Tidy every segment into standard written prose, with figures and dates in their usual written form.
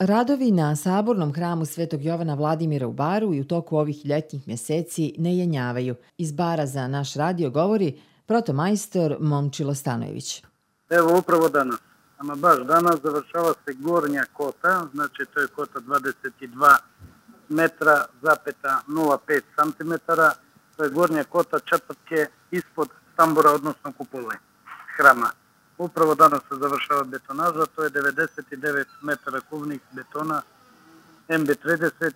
Radovi na Sabornom hramu Svetog Jovana Vladimira u Baru i u toku ovih ljetnjih mjeseci ne jenjavaju. Iz Bara za naš radio govori protomajstor Momčilo Stanojević. Evo upravo danas, ama baš danas završava se gornja kota, znači to je kota 22 metra zapeta 0,5 centimetara, to je gornja kota četvrtke ispod tambura, odnosno kupole hrama. Upravo danas se završava betonaža, to je 99 metara kubnih betona MB30,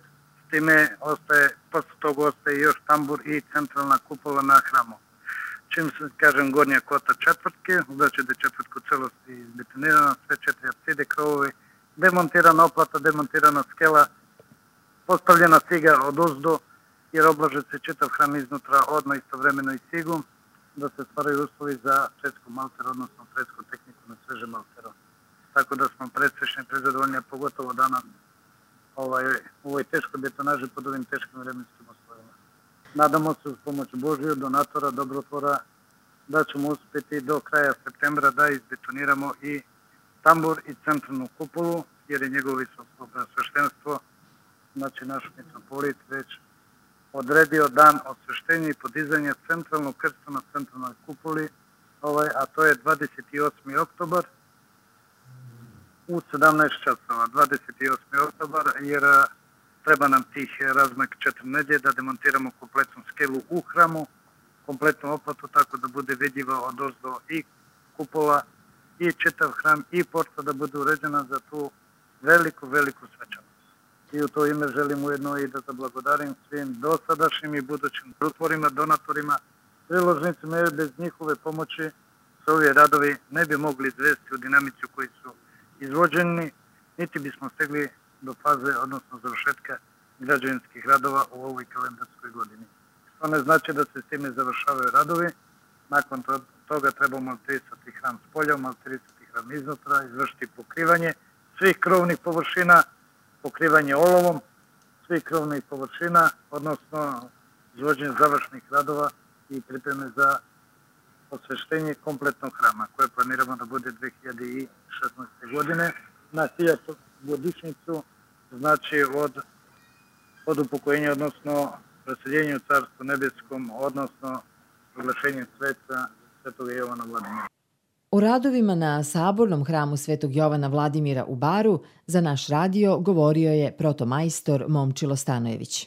s time posle toga ostaje još tambur i centralna kupola na hramu. Čim se kažem gornja kota četvrtke, znači da je četvrtka u celosti izbetonirana, sve četiri apside, krovovi, demontirana oplata, demontirana skela, postavljena ciga od ozdo, jer oblaže se čitav hram iznutra odmah istovremeno i cigom, da se stvaraju uslovi za fresku malter, odnosno fresku tehniku na sveže maltero. Tako da smo predsrećni, prezadovoljni, pogotovo danas u ovoj teškoj betonaži pod ovim teškim vremenskim uslovima. Nadamo se uz pomoć Božiju, donatora, dobrotvora, da ćemo uspjeti do kraja septembra da izbetoniramo i tambur i centralnu kupolu, jer je njegovo visoko preosveštenstvo, znači naš mitropolit, već odredio dan osveštenja i podizanja centralnog krsta na centralnoj kupoli, a to je 28. oktobar u 17 časova. 28. oktobar, jer treba nam tih razmak 4 nedelje da demontiramo kompletnu skelu u hramu, kompletnu oplatu, tako da bude vidljiva od ozdo i kupola i čitav hram i porta da bude uređena za tu veliku svečanost. I u to ime želim ujedno i da zablagodarim svim dosadašnjim i budućim drugotvorima, donatorima, priložnicima, jer bez njihove pomoći se ovi radovi ne bi mogli izvesti u dinamici u kojoj su izvođeni, niti bismo stigli do faze, odnosno završetka građevinskih radova u ovoj kalendarskoj godini. To ne znači da se s time završavaju radovi, nakon toga treba malterisati hram s polja, malterisati hram iznutra, izvršiti pokrivanje svih krovnih površina, pokrivanje olovom svih krovnih površina, odnosno izvođenje završnih radova i pripreme za osveštenje kompletnog hrama, koje planiramo da bude 2016. godine na 1000. godišnjicu, znači od upokojenja, odnosno preseljenja u Carstvu nebeskom, odnosno proglašenju sveca Svetog Jovana Vladimira. O radovima na Sabornom hramu Svetog Jovana Vladimira u Baru za naš radio govorio je protomajstor Momčilo Stanojević.